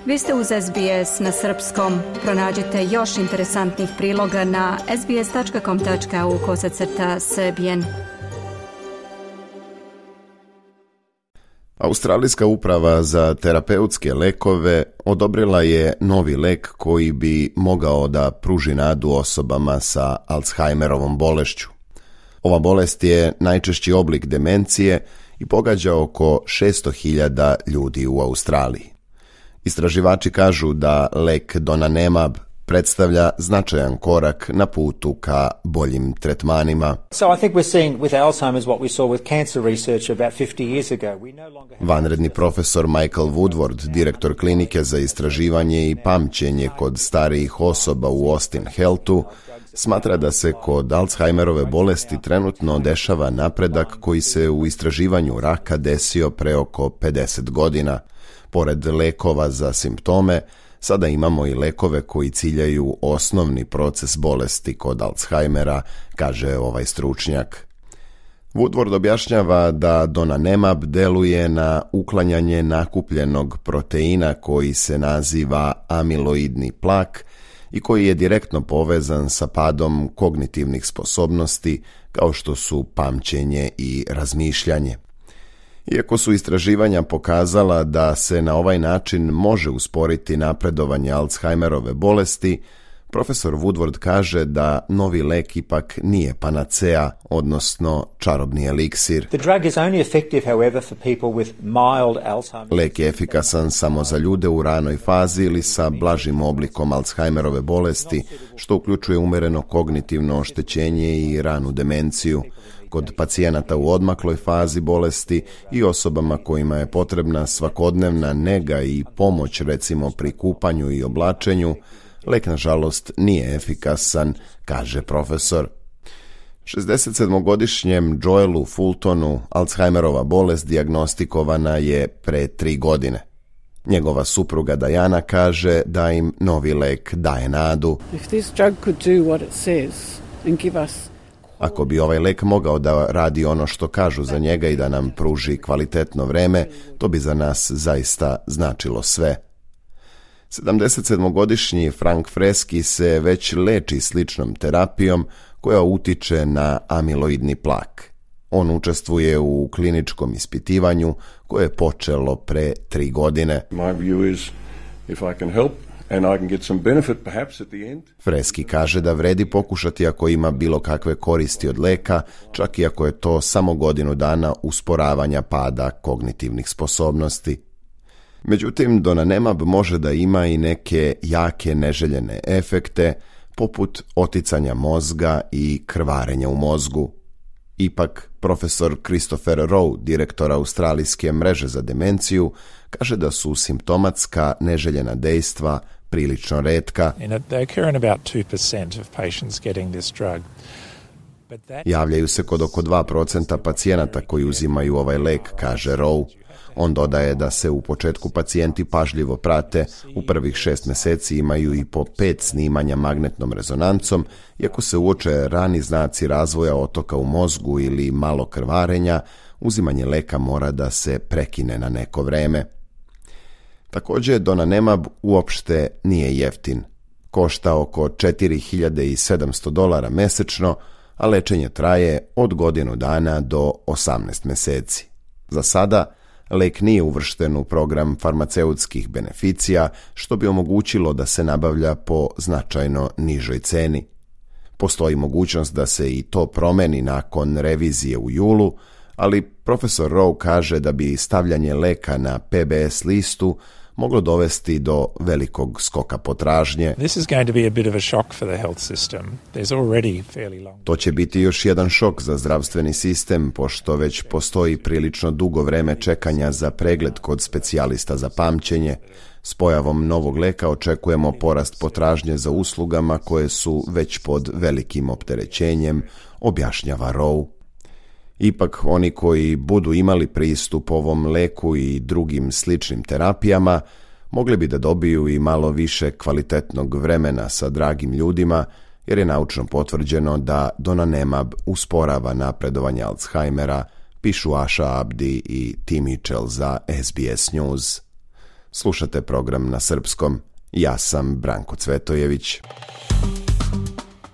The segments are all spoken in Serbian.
Vi ste uz SBS na srpskom. Pronađite još interesantnih priloga na sbs.com.au/srbijen. Australijska uprava za terapeutske lekove odobrila je novi lek koji bi mogao da pruži nadu osobama sa Alzheimerovom bolešću. Ova bolest je najčešći oblik demencije i pogađa oko 600.000 ljudi u Australiji. Istraživači kažu da lek donanemab predstavlja značajan korak na putu ka boljim tretmanima. Vanredni profesor Michael Woodward, direktor klinike za istraživanje i pamćenje kod starijih osoba u Austin Healthu, smatra da se kod Alzheimerove bolesti trenutno dešava napredak koji se u istraživanju raka desio pre oko 50 godina. Pored lekova za simptome, sada imamo i lekove koji ciljaju osnovni proces bolesti kod Alzheimera, kaže ovaj stručnjak. Woodward objašnjava da donanemab deluje na uklanjanje nakupljenog proteina koji se naziva amiloidni plak i koji je direktno povezan sa padom kognitivnih sposobnosti kao što su pamćenje i razmišljanje. Iako su istraživanja pokazala da se na ovaj način može usporiti napredovanje Alzheimerove bolesti, profesor Woodward kaže da novi lek ipak nije panacea, odnosno čarobni eliksir. Lek je efikasan samo za ljude u ranoj fazi ili sa blažim oblikom Alzheimerove bolesti, što uključuje umereno kognitivno oštećenje i ranu demenciju. Kod pacijenata u odmakloj fazi bolesti i osobama kojima je potrebna svakodnevna nega i pomoć, recimo pri kupanju i oblačenju, lek nažalost nije efikasan, kaže profesor. 67-godišnjem Joelu Fultonu Alzheimerova bolest dijagnostikovana je pre 3 godine. Njegova supruga Diana kaže da im novi lek daje nadu. Ako bi ovaj lek mogao da radi ono što kažu za njega i da nam pruži kvalitetno vreme, to bi za nas zaista značilo sve. 77-godišnji Frank Freski se već leči sličnom terapijom koja utiče na amiloidni plak. On učestvuje u kliničkom ispitivanju koje je počelo pre 3 godine. Freski kaže da vredi pokušati ako ima bilo kakve koristi od leka, čak i ako je to samo godinu dana usporavanja pada kognitivnih sposobnosti. Međutim, donanemab može da ima i neke jake neželjene efekte, poput oticanja mozga i krvarenja u mozgu. Ipak, profesor Christopher Rowe, direktor Australijske mreže za demenciju, kaže da su simptomatska neželjena dejstva prilično retka. Javljaju se kod oko 2% pacijenata koji uzimaju ovaj lek, kaže Rowe. On dodaje da se u početku pacijenti pažljivo prate, u prvih 6 meseci imaju i po 5 snimanja magnetnom rezonancom, iako se uoče rani znaci razvoja otoka u mozgu ili malo krvarenja, uzimanje leka mora da se prekine na neko vreme. Također, donanemab uopšte nije jeftin. Košta oko $4.700 mesečno, a lečenje traje od godinu dana do 18 meseci. Za sada, lek nije uvršten u program farmaceutskih beneficija, što bi omogućilo da se nabavlja po značajno nižoj ceni. Postoji mogućnost da se i to promeni nakon revizije u julu, ali profesor Rowe kaže da bi stavljanje leka na PBS listu moglo dovesti do velikog skoka potražnje. To će biti još jedan šok za zdravstveni sistem, pošto već postoji prilično dugo vreme čekanja za pregled kod specijalista za pamćenje. S pojavom novog leka očekujemo porast potražnje za uslugama koje su već pod velikim opterećenjem, objašnjava Rowe. Ipak, oni koji budu imali pristup ovom leku i drugim sličnim terapijama, mogli bi da dobiju i malo više kvalitetnog vremena sa dragim ljudima, jer je naučno potvrđeno da donanemab usporava napredovanje Alzheimera, pišu Asha Abdi i Tim Mitchell za SBS News. Slušate program na srpskom. Ja sam Branko Cvetojević.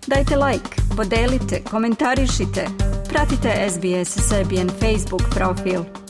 Dajte like, podelite, komentarišite. Pratite SBS Serbian Facebook profil.